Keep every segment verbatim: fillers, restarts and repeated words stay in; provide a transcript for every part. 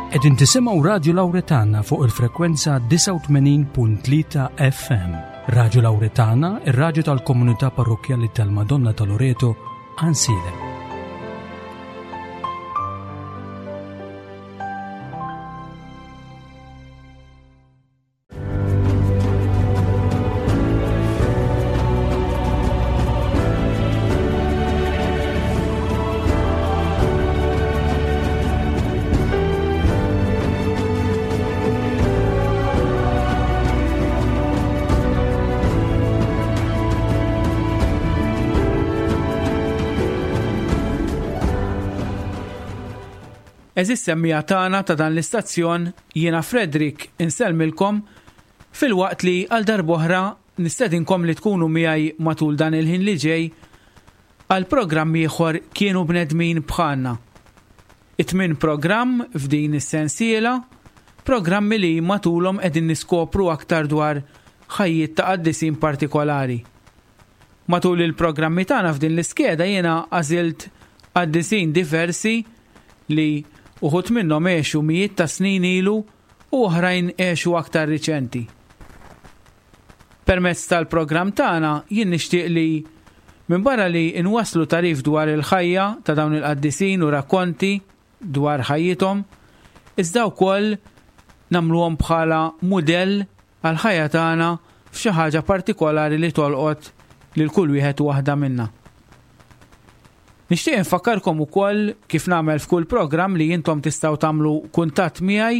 Qegħdin tisimgħu Radju Lawretana fuq il-frekwenza disgħa u tmenin punt tlieta F M. Radju Lawretana, ir-radju tal-Komunità Parrokkjali tal-Madonna ta' Loreto, Għajnsielem. Għeżież semmiegħa tagħna ta' dan l-istazzjon, jiena Frederick insellmilkom filwaqt li għal darb'oħra nistedinkom li tkunu miegħi matul dan il-ħin li ġej għal programm ieħor, Kienu Bnedmin Bħalna. It-tmien programm f'din is-sensiela, programmi li matulhom qegħdin niskopru aktar dwar ħajjiet ta' qaddisin partikolari. Matul il-programmi tagħna f'din l-iskeda jiena għażilt qaddisin diversi li uħud minnhom għexu mijiet ta' snin ilu u oħrajn għexu aktar riċenti. Permezz tal-programm tagħna jien nixtieq li minn barra li inwaslu tagħrif dwar il-ħajja ta' dawn il-qaddisin u rakkonti dwar ħajjithom, iżda wkoll nagħmluhom bħala mudell għal-ħajja tagħna f'xi ħaġa partikolari li tolqot lil kull wieħed u waħda minna. Nixtieq infakkarkom ukoll, kif nagħmel f'kull programm, li intom tistgħu tagħmlu kuntatt miegħi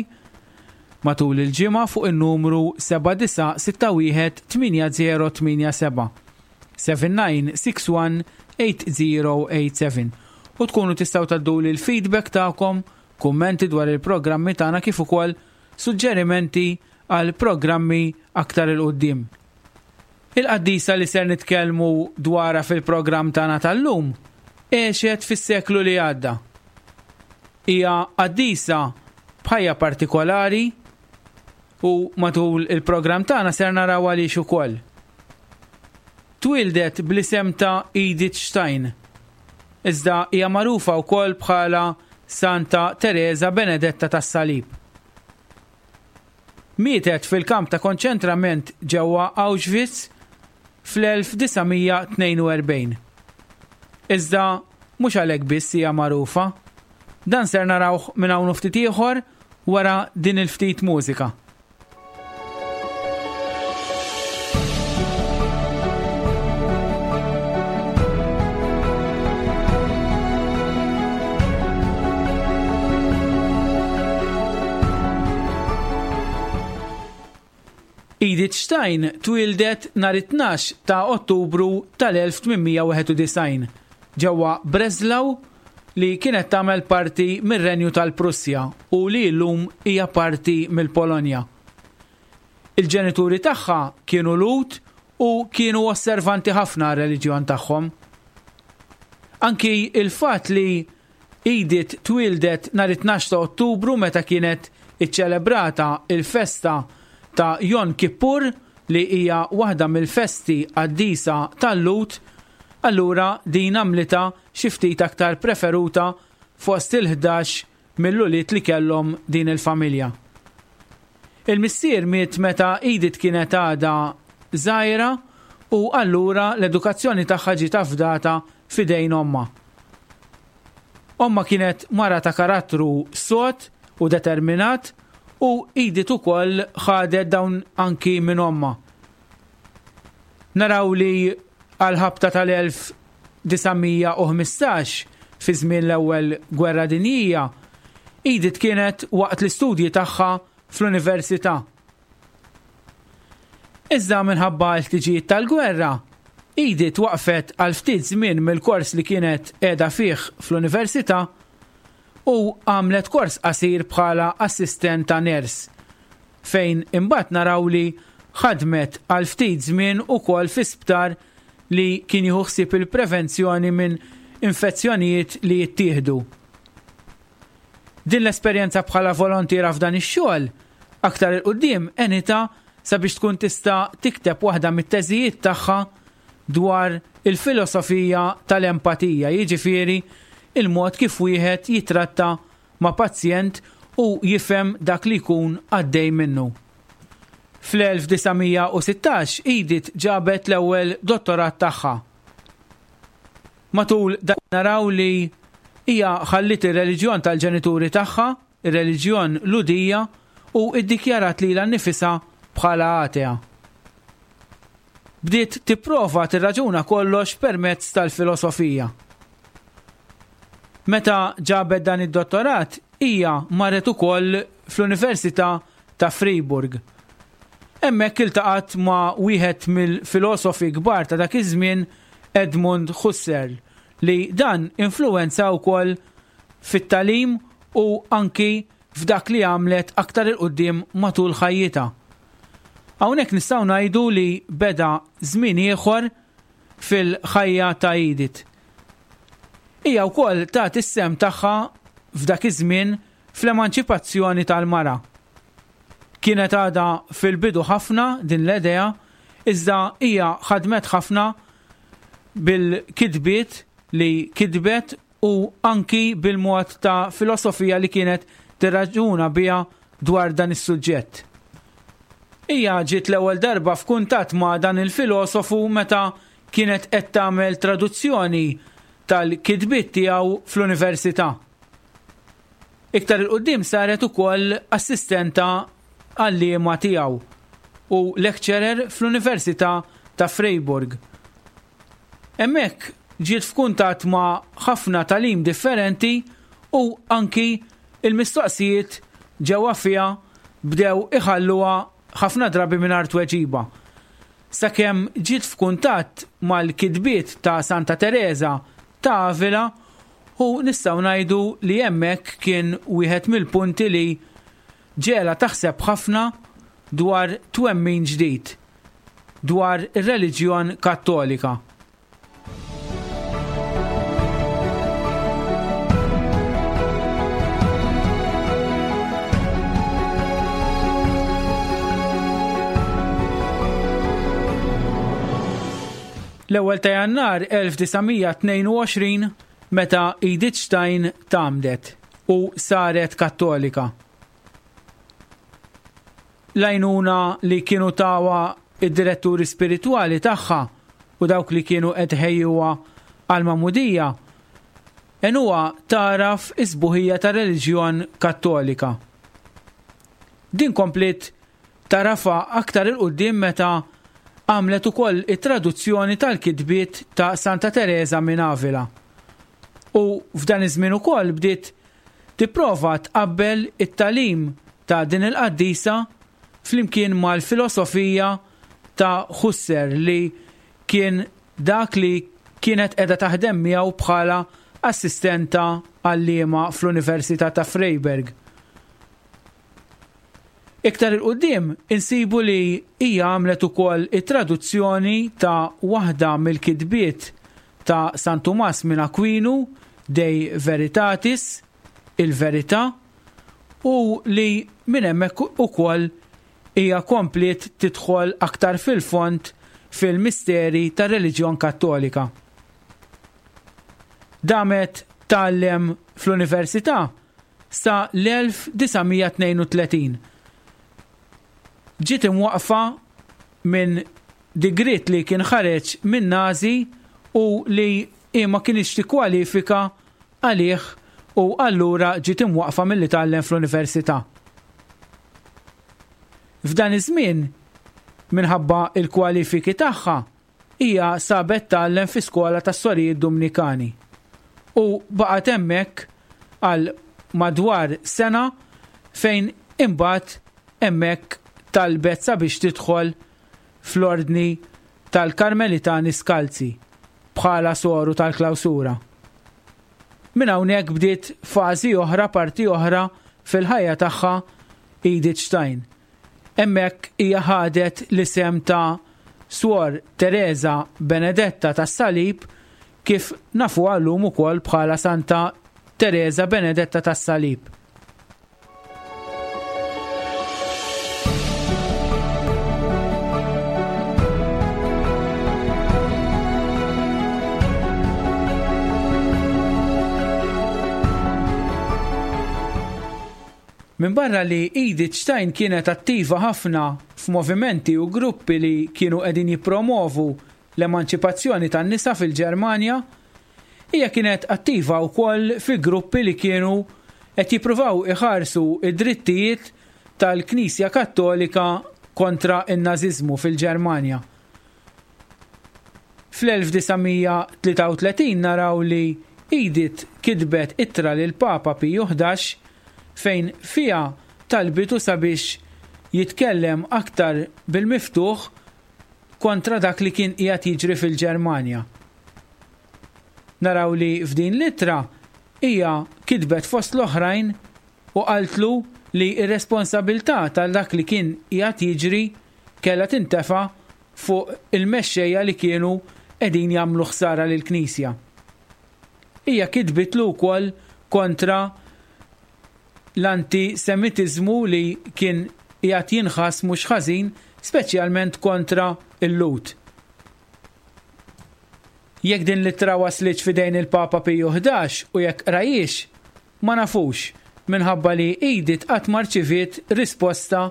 matul il-ġimgħa fuq in-numru seba' disa' sitta wieħed tmienja żero tmienja seba', seven nine six one eight zero eight seven, u tkunu tistgħu tgħadduli l-feedback tagħkom, kummenti dwar il-programmi tagħna kif ukoll suġġerimenti għal programmi aktar 'il quddiem. Il-qaddisa li ser nitkellmu dwarha fil-programm tagħna tal-lum għexet fis-seklu li għadda. Hija qaddisa b'ħajja partikolari u matul il-programm tagħna ser naraw għaliex ukoll. Twildet bl-isem ta' Edith Stein. Iżda hija magħrufa wkoll bħala Santa Teresa Benedetta tas-Salib. Mietet fil-kamp ta' konċentrament ġewwa Auschwitz fl-elf disa' mija tnejn u erbgħin. Iżda mhux għalhekk biss hija magħrufa. Dan ser narawh minn hawn ftit ieħor wara din il-ftit mużika. Edith Stein twildet nhar it-tnax ta' Ottubru tal-elf tmien mija wieħed u disgħin ġewwa Breslau, li kienet tagħmel parti mir-Renju tal-Prussja u li llum hija parti mill-Polonja. Il-ġenituri tagħha kienu Lhud u kienu osservanti ħafna r-reliġjon tagħhom. Anki il-fatt li Edith twildet nhar it-tnax ta' Ottubru, meta kienet iċċelebrata il-festa ta' Jon Kippur, li hija waħda mill-festi qaddisa tal-Lhud, allura din għamlitha xi ftit aktar preferuta fost il-ħdax mill-ulied li kellhom din il-familja. Il-missier miet meta Edith kienet għadha żgħira u allura l-edukazzjoni tagħha ġiet afdata f'idejn ommha. Ommha kienet mara ta' karattru sod u determinat u Edith ukoll ħadet dawn anki minn ommha. Naraw li għal-ħabta tal-elf disa' mija u ħmistax, fi żmien l-ewwel gwerra dinjija, Edith kienet waqt l-istudji tagħha fl-università. Iżda minħabba l-ħtiġijiet tal-gwerra, Edith waqfet għal ftit żmien mill-kors li kienet qiegħda fih fl-università u għamlet kors qasir bħala assistent ta' ners, fejn imbagħad naraw li ħadmet għal ftit żmien ukoll fi sptar li kien jieħu ħsieb il-prevenzjoni minn infezzjonijiet li jittieħdu. Din l-esperjenza bħala volontiera f'dan ix-xogħol aktar 'il quddiem għenitha sabiex tkun tista' tikteb waħda mit-teżijiet tagħha dwar il-filosofija tal-empatija, jiġifieri il-mod kif wieħed jitratta ma' pazjent u jifhem dak li jkun għaddej minnu. Fl-elf disa' mija u sittax Edith ġabet l-ewwel dottorat tagħha. Matul dan naraw li hija ħallit ir-reliġjon tal-ġenituri tagħha, ir-reliġjon Lhudija, u iddikjarat lilha nnifisha bħala atea. Bdiet tipprova tirraġuna kollox permezz tal-filosofija. Meta ġabet dan id-dottorat, hija marret ukoll fl-Università ta' Freiburg. Hemmhekk iltaqat ma' wieħed mill-filosofi kbar ta' dak iż-żmien, Edmund Husserl, li dan influwenza wkoll fit-tagħlim u anki f'dak li għamlet aktar il-qudiem matul ħajjitha. Hawnhekk nistgħu ngħidu li beda żmien ieħor fil-ħajja ta' Edith. Hija wkoll tat is-sehem tagħha f'dak iż-żmien fl-emanċipazzjoni tal-mara. Kienet għadha fil-bidu ħafna din l-idea, iżda hija ħadmet ħafna bil-kitbiet li kitbet u anki bil-mod ta' filosofija li kienet tirraġuna biha dwar dan is-suġġett. Hija ġiet l-ewwel darba f'kuntatt ma' dan il-filosofu meta kienet qed tagħmel traduzzjoni tal-kitbiet tiegħu fl-università. Iktar il-qudiem saret ukoll assistenta għalliema tiegħu u lecturer fl-Università ta' Freiburg. Hemmhekk ġiet f'kuntatt ma' ħafna tagħlim differenti u anki il-mistoqsijiet ġewwa fiha bdew iħalluha ħafna drabi mingħajr tweġiba. Sakemm ġiet f'kuntatt mal-kitbiet ta' Santa Teresa ta' Avila u nistgħu ngħidu li hemmhekk kien wieħed mill-punti li ġela taħseb ħafna dwar twemmin ġdid, dwar ir-reliġjon Kattolika. L-ewwel ta' Jannar elf disa' mija tnejn u għoxrin meta Edith Stein tgħammdet u saret Kattolika. L-għajnuna li kienu tawa id-diretturi spiritwali tagħha u dawk li kienu qed ħejjuha għall-magħmudija għenuha tagħraf is-sbuħija tar-reliġjon Kattolika. Din kompliet tagħrafha aktar il-quddiem meta għamlet ukoll it-traduzzjoni tal-kitbiet ta' Santa Teresa minn Avila. U f'dan iż-żmien ukoll bdiet tipprova tqabbel it-tagħlim ta' din il-qaddisa flimkien mal-filosofija ta' Husserl li kien dak li kienet qiegħda taħdem miegħu bħala assistenta għalliema fl-Università ta' Freiburg. Iktar il-qudiem insibu li hija għamlet ukoll it-traduzzjoni ta' waħda mill-kitbiet ta' San Tumas minn Aquinu, De Veritatis, il-Verità, u li minn hemmhekk ukoll hija kompliet tidħol aktar fil-fond fil-misteri tar-reliġjon Kattolika. Damet tgħallem fl-università sa l-elf disa' mija tnejn u tletin. Ġiet imwaqfa minn digriet li kien ħareġ minn Nazi u li hi ma kienx tikkwalifika għalih u allura ġiet imwaqfa milli tgħallem fl-università. F'dan iż-żmien, minħabba il-kwalifiki tagħha, hija sabet tgħallem fi skola tas-sorijiet Dominikani u baqgħet hemmhekk għal madwar sena fejn imbagħad hemmhekk talbet sabiex tidħol fl-ordni tal-Karmelitani Skalzi bħala soru tal-klawsura. Minn hawnhekk bdiet fażi oħra, parti oħra fil-ħajja tagħha Edith Stein. Hemmhekk hija ħadet l-isem ta' Suor Teresa Benedetta tas-Salib kif nafuha llum ukoll bħala Santa Teresa Benedetta tas-Salib. Minbarra li Edith Stein kienet attiva ħafna f'movimenti u gruppi li kienu qegħdin jippromovu l-emanċipazzjoni tan-nisa fil-Ġermanja, hija kienet attiva wkoll fi gruppi li kienu qed jippruvaw iħarsu id-drittijiet tal-Knisja Kattolika kontra n-Nażiżmu fil-Ġermanja. Fl-elf disa' mija tlieta u tletin naraw li Edith kitbet ittra lil Papa Piju ħdax fejn fiha talbitu sabiex jitkellem aktar bil-miftuħ kontra dak li kien qiegħed jiġri fil-Ġermanja. Naraw li f'din l-ittra hija kitbet fost l-oħrajn u qaltlu li r-responsabilità tal dak li kien qiegħed jiġri kellha tintefa' fuq il-mexxejja li kienu qegħdin jagħmlu ħsara lill-Knisja. Hija kitbitlu wkoll kontra l-antisemitiżmu li kien qiegħed jinħass mhux ħażin, speċjalment kontra l-Lhud. Jekk din l-ittra waslitx f'idejn il-Papa Piju ħdax u jekk qrajiex, ma nafux, minħabba li Edith qatt ma rċiviet risposta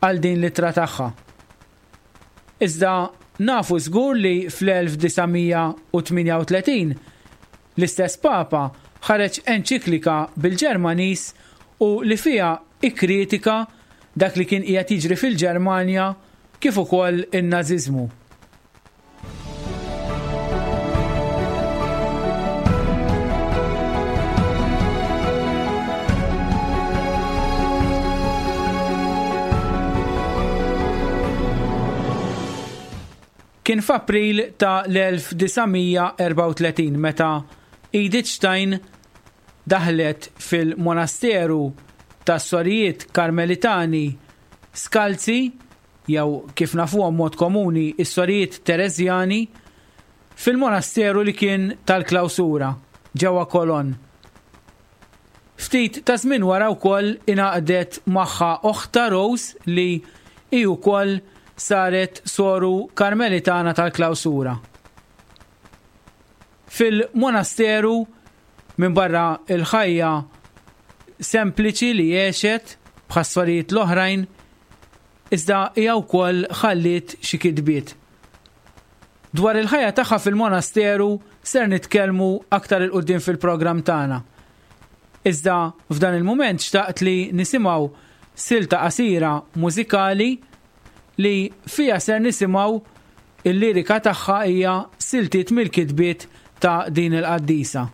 għal din l-ittra tagħha. Iżda nafu żgur li fl-elf disa' mija u tmienja u tletin l-istess Papa ħareġ enċiklika bil-Ġermaniż u li fiha ikkritika dak li kien qiegħed jiġri fil-Ġermanja kif ukoll in-Nażiżmu. Kien f'April ta' l-elf disa' mija erbgħa u tletin meta Edith Stein daħlet fil-monasteru tas-sorijiet Karmelitani Skalzi, jew kif nafuhom mod komuni is-sorijiet Tereżjani, fil-monasteru li kien tal-klawsura ġewwa Cologne. Ftit ta' żmien wara wkoll ingħaqdet magħha oħta Rose li hi wkoll saret soru Karmelitana tal-klawsura. Fil-monasteru, minn barra il-ħajja sempliċi li għexet bħas-sorijiet l-oħrajn, iżda hija wkoll ħalliet xi kitbiet. Dwar il-ħajja tagħha fil-monasteru ser nitkellmu aktar il quddiem fil-programm tagħna. Iżda f'dan il-mument xtaqt li nisimgħu silta qasira mużikali li fija ser nisimgħu il-lirika tagħha hija siltiet mill-kitbiet ta' din il-qaddisa.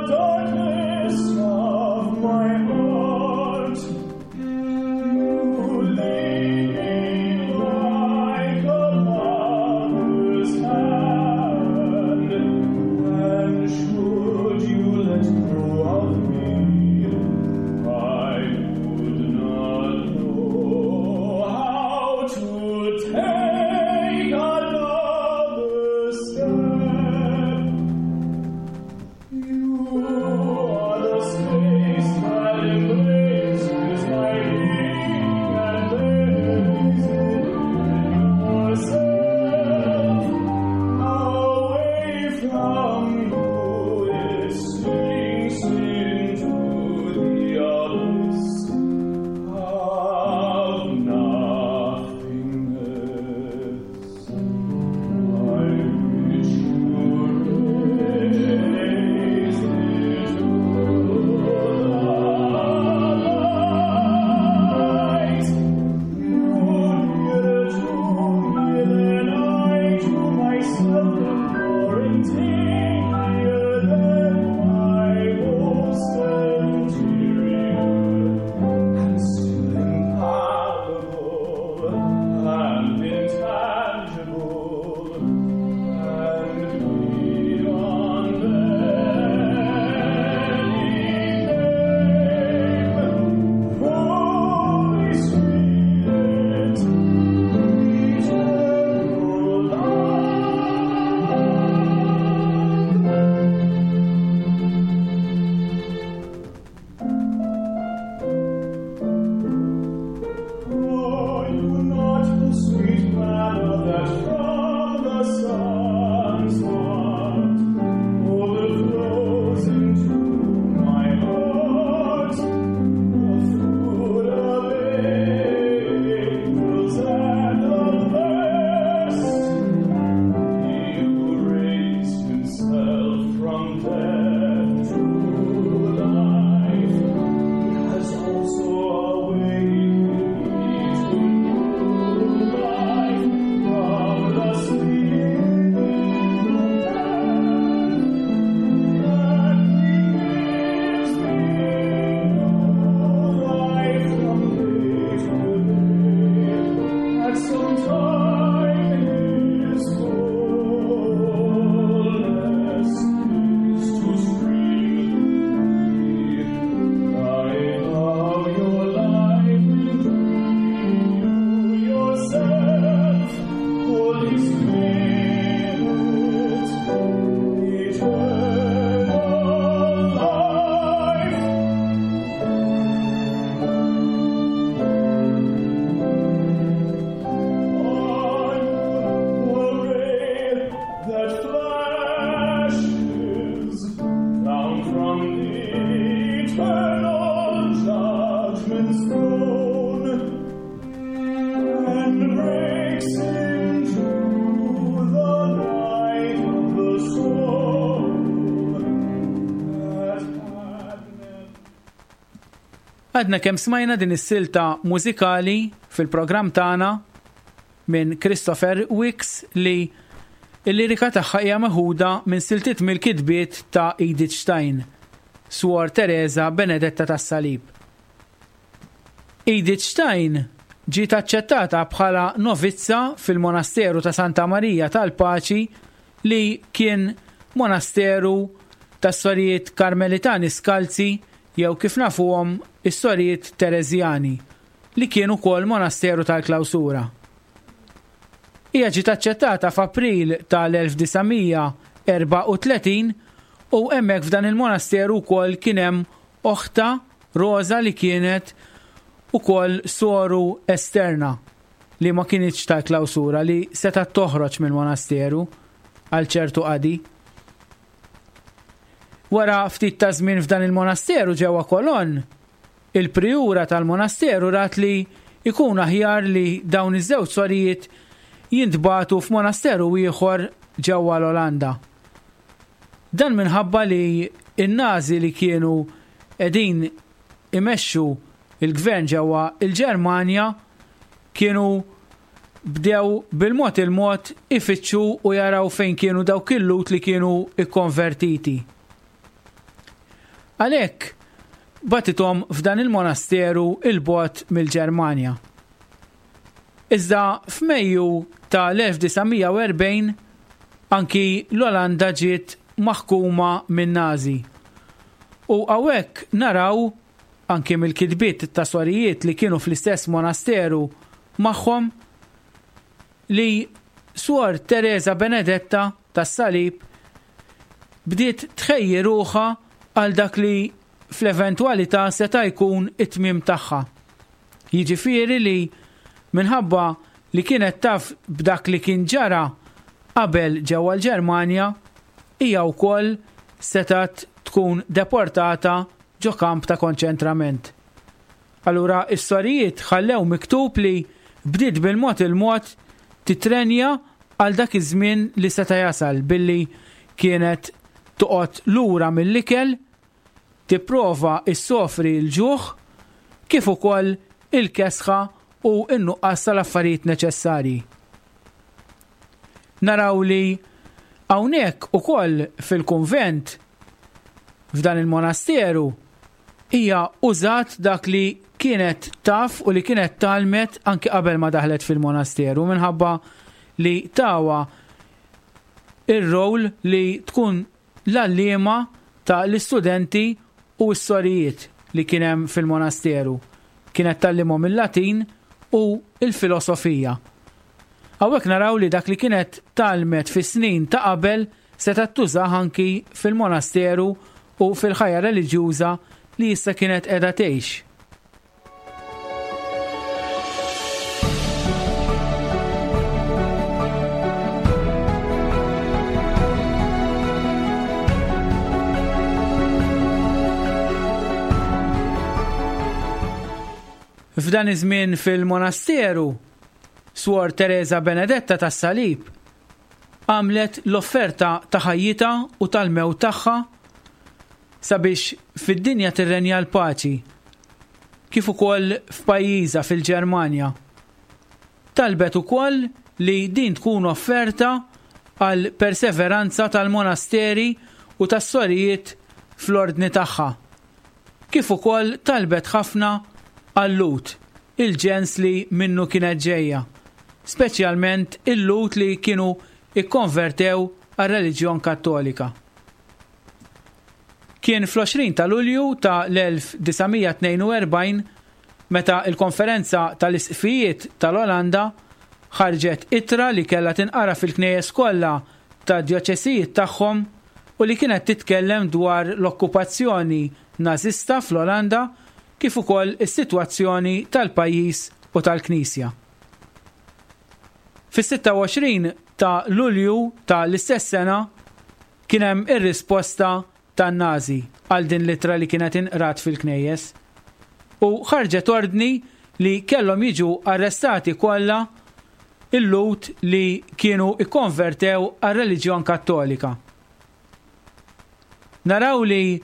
Darkness of my heart. heaven's throne and breaks into the light of the soul that had never. Għadna kemm smajna din is-silta mużikali fil-programm tagħna minn Christopher Wicks li l-lirika tagħha hija meħuda minn siltiet mill-kitbiet ta' Edith Stein, Suor Teresa Benedetta tas-Salib. Edith Stein ġiet aċċettata bħala novizza fil-monasteru ta' Santa Marija tal-Paċi li kien monasteru tas-sorijiet Karmelitani Skalzi jew kif nafuhom is-sorijiet Terezjani li kienu wkoll monasteru tal-klawsura. Hija ġiet aċċettata f'April tal-elf disa' mija erbgħa u tletin u hemmhekk f'dan il-monasteru wkoll kien hemm oħta Rosa li kienet ukoll soru esterna li ma kinitx tal-klawsura li setgħet toħroġ mill-monasteru għal ċertu qadi. Wara ftit ta' żmien f'dan il-monasteru ġewwa Cologne, il-prijura tal-monasteru rat li ikun aħjar li dawn iż-żewġ sorijiet jintbagħtu f'monasteru ieħor ġewwa l-Olanda. Dan minħabba li n-Nazi li kienu qegħdin imexxu il-gvern ġewwa il-Ġermanja kienu bdew bil-mod il-mod ifittxu u jaraw fejn kienu dawk il-Lhud li kienu ikkonvertiti. Għalhekk batithom f'dan il-monasteru il-bogħod mill-Ġermanja. Iżda f'Mejju tal-elf disa' mija u erbgħin anki l-Olanda ġiet maħkuma minn Nazi. U hawnhekk naraw anki mill-kitbiet ta' sorijiet li kienu fl-istess monasteru magħhom li Suor Teresa Benedetta tas-Salib bdiet tħejji ruħha għal dak li fl-eventwalità seta' jkun it-tmiem tagħha. Jiġifieri li minħabba li kienet taf b'dak li kien ġara qabel ġewwa l-Ġermanja, hija wkoll setgħet tkun deportata ġo kamp ta' konċentrament. Allura is-sorijiet ħallew miktub li bdiet bil-mod il-mod titrenja għal dak iż-żmien li seta' jasal billi kienet toqgħod lura mill-ikel, tipprova issofri l-ġuħ kif ukoll il-kesħa u n-nuqqas tal-affarijiet neċessarji. Naraw li hawnhekk ukoll fil-kunvent f'dan il-monasteru hija użat dak li kienet taf u li kienet talmet anki qabel ma daħlet fil-monasteru minħabba li tawa ir-rol li tkun l-għalliema ta' l-istudenti u s-sorijiet li kien hemm fil-monasteru. Kienet tallimhom il-Latin u il-filosofija. Hawnhekk naraw li dak li kienet talmet fis-snin ta' qabel setgħet tużah anki fil-monasteru u fil-ħajja reliġjuża li issa kienet qiegħda tgħix. F'dan iż-żmien fil-monasteru, Suor Teresa Benedetta tas-Salib għamlet l-offerta ta' ħajjitha u tal-mewt tagħha sabiex fid-dinja tirrenja l-paċi, kif ukoll f'pajjiżha fil-Ġermanja. Talbet ukoll li din tkun offerta għal perseveranza tal-monasteri u tas-sorijiet fl-ordni tagħha, kif ukoll talbet ħafna għal-Lhud, il-ġens li minnu kienet ġejja, speċjalment il-Lhud li kienu ikkonvertew għar-reliġjon Kattolika. Kien fl-għoxrin ta' Lulju ta' l-elf disa' mija tnejn u erbgħin meta il-konferenza tal-Isqfijiet tal-Olanda ħarġet ittra li kellha tinqara fil-knejjes kollha ta' djoċesijiet tagħhom u li kienet titkellem dwar l-okkupazzjoni nażista fl-Olanda kif ukoll is-sitwazzjoni tal-pajjiż u tal-Knisja. Fis-sitta u għoxrin ta' Lulju ta' l-istess sena kien hemm ir-risposta tan-Nazi għal din l-ittra li kienet inqrat fil-knejjes. u ħarġet ordni li kellhom jiġu arrestati kollha il-Lhud li kienu ikkonvertew għar-reliġjon Kattolika. Naraw li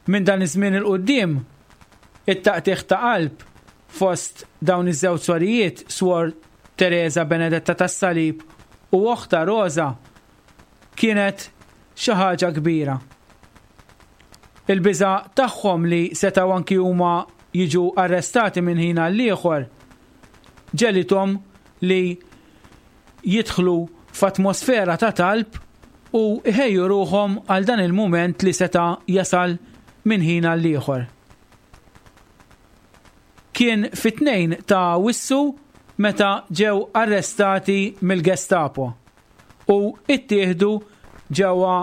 minn dan iż-żmien 'il quddiem it-taqtigħ ta' qalb fost dawn iż-żewġ sorijiet, Swor Teresa Benedetta tas-Salib u oħtha Rosa, kienet xi ħaġa kbira. Il-biża' tagħhom li setgħu anki huma jiġu arrestati minn ħin għal ieħor ġegħlithom li jidħlu f'atmosfera ta' talb u iħejju ruħhom għal dan il-mument li seta' jasal minn ħin għal ieħor. Kien fit-tnejn ta' Awwissu meta ġew arrestati mill-Gestapo u ittieħdu ġewwa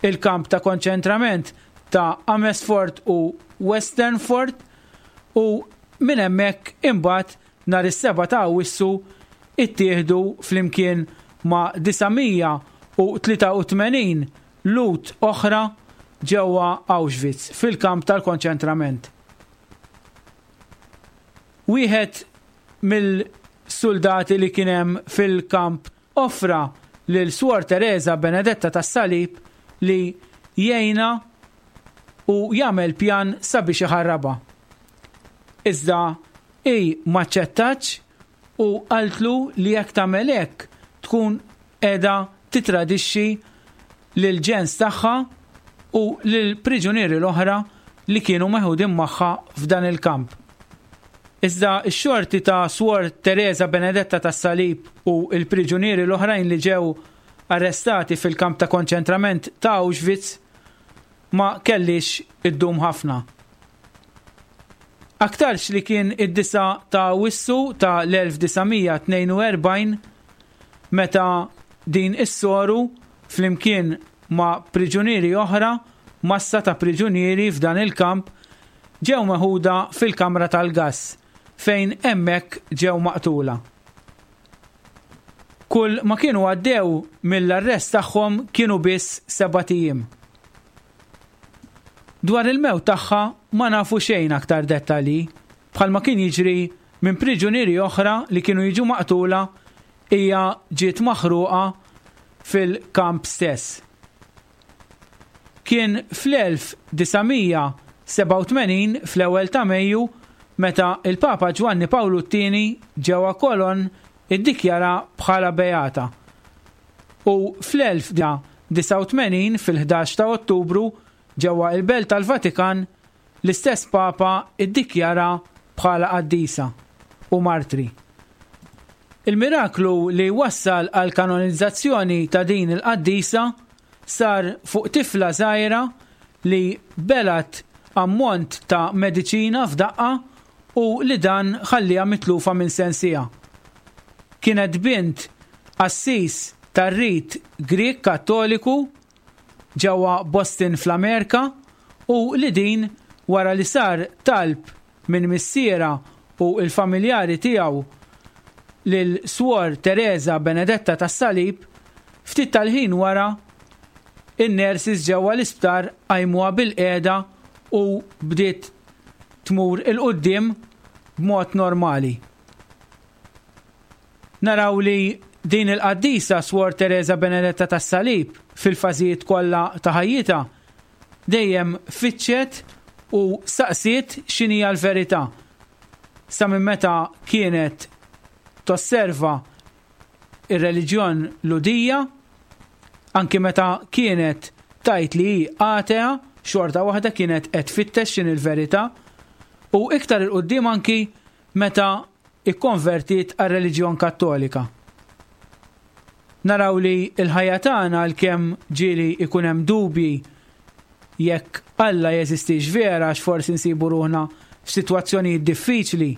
il-kamp ta' konċentrament ta' Amersfoort u Westervoort u minn hemmhekk imbagħad nhar is-seba' ta' Awwissu ittieħdu flimkien ma' disa' mija u tlieta u tmenin Lhud oħra ġewwa Auschwitz fil-kamp tal-konċentrament. Wieħed mill-soldati li kien hemm fil-kamp offra lil Swor Teresa Benedetta tas-Salib li jgħinha u jagħmel pjan sabiex iħarrabha. Iżda hi m'aċċettatx u qaltlu li jekk tagħmel hekk tkun qiegħda titradixxi lil ġens tagħha u lil priġunieri l-oħra li kienu meħudin magħha f'dan il-kamp. Iżda x-xorti ta' Swor Teresa Benedetta tas-Salib u l-priġunieri l-oħrajn li ġew arrestati fil-kamp ta' konċentrament ta' Auschwitz ma kellix iddum ħafna. Aktarx li kien id-disa ta' Awwissu ta' l-elf disa' mija tnejn u erbgħin meta din is-soru flimkien ma' priġunieri oħra, massa ta' priġunieri f'dan il-kamp, ġew meħuda fil-kamra tal-gass fejn hemmhekk ġew maqtula. Kull ma kienu għaddew mill-arrest tagħhom kienu biss sebat ijiem. Dwar il-mewt tagħha ma nafu xejn aktar dettalji, bħalma kien jiġri minn priġunieri oħra li kienu jiġu maqtula, hija ġiet maħruqa fil-kamp stess. Kien fl-elf disa' mija sebgħa u tmenin fl-ewwel ta' Mejju meta il-Papa Ġwanni Pawlu t-tieni ġewwa Cologne iddikjara bħala beata. U fl-elf disa' u tmenin fil-ħdax ta' Ottubru ġewwa il-Belt tal-Vatikan l-istess Papa iddikjara bħala qaddisa u martri. Il-miraklu li wassal għal kanonizzazzjoni ta' din il-qaddisa sar fuq tifla żgħira li belat ammont ta' mediċina f'daqqa u li dan ħalliha mitlufa minn sensija. Kienet bint qassis tar-rit Grieg Kattoliku ġewwa Boston fl-Amerika u li din wara li sar talb minn missiera u l-familjari tiegħu lil Swor Teresa Benedetta tas-Salib, ftit tal-ħin wara in-nurses ġewwa l-isptar qajmuha bil-qiegħda u bdiet tmur il-quddiem b'mod normali. Naraw li din il-qaddisa Swor Teresa Benedetta tas-Salib fil-fażijiet kollha ta' ħajjitha dejjem fittxet u saqsiet x'inhija l-verità. Sa minn meta kienet tosserva ir-reliġjon Lhudija, anki meta kienet tajt li hi atea, xorta waħda kienet qed tfittex x'inhi l-verità, u iktar il-quddiem anki meta ikkonvertiet għar-reliġjon Kattolika. Naraw li l-ħajja tagħna għalkemm ġieli ikun hemm dubji jekk Alla jeżistix vera għax forsi nsibu ruħna f'sitwazzjonijiet diffiċli,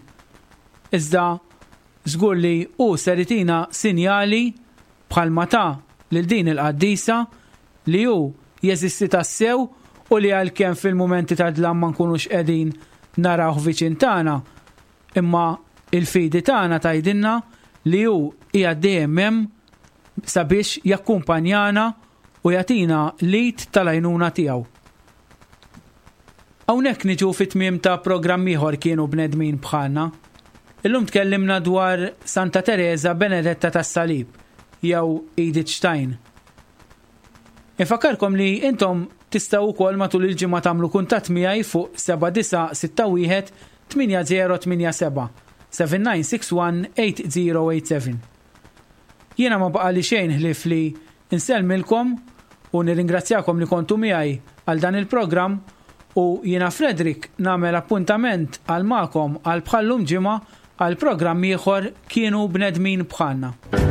iżda żgur li hu ser itina sinjali bħalma ta' lil din il-qaddisa li hu jeżisti tassew u li għalkemm fil-mumenti ta' dlam ma nkunux qegħdin narawh viċin tagħna, imma il-fidi tagħna tgħidilna li hu qiegħed dejjem hemm sabiex jakkumpanjana u jagħtina l-id tal-għajnuna tiegħu. Hawnhekk niġu fit-tmiem ta' programm ieħor Kienu Bnedmin Bħalna. Illum tkellimna dwar Santa Teresa Benedetta tas-Salib jew Edith Stein. Infakkarkom li intom tistgħu wkoll matul il-ġimgħa tagħmlu kuntatt miegħi fuq seba' disa' sitta wieħed tmienja żero tmienja seba' seven nine six one eight zero eight seven. Jiena ma baqali xejn ħlief li nsellmilkom u nirringrazzjakom li kontu miegħi għal dan il-programm u jiena Frederick nagħmel appuntament għal magħkom għal bħal-lum ġimgħa għal programm ieħor Kienu Bnedmin Bħalna.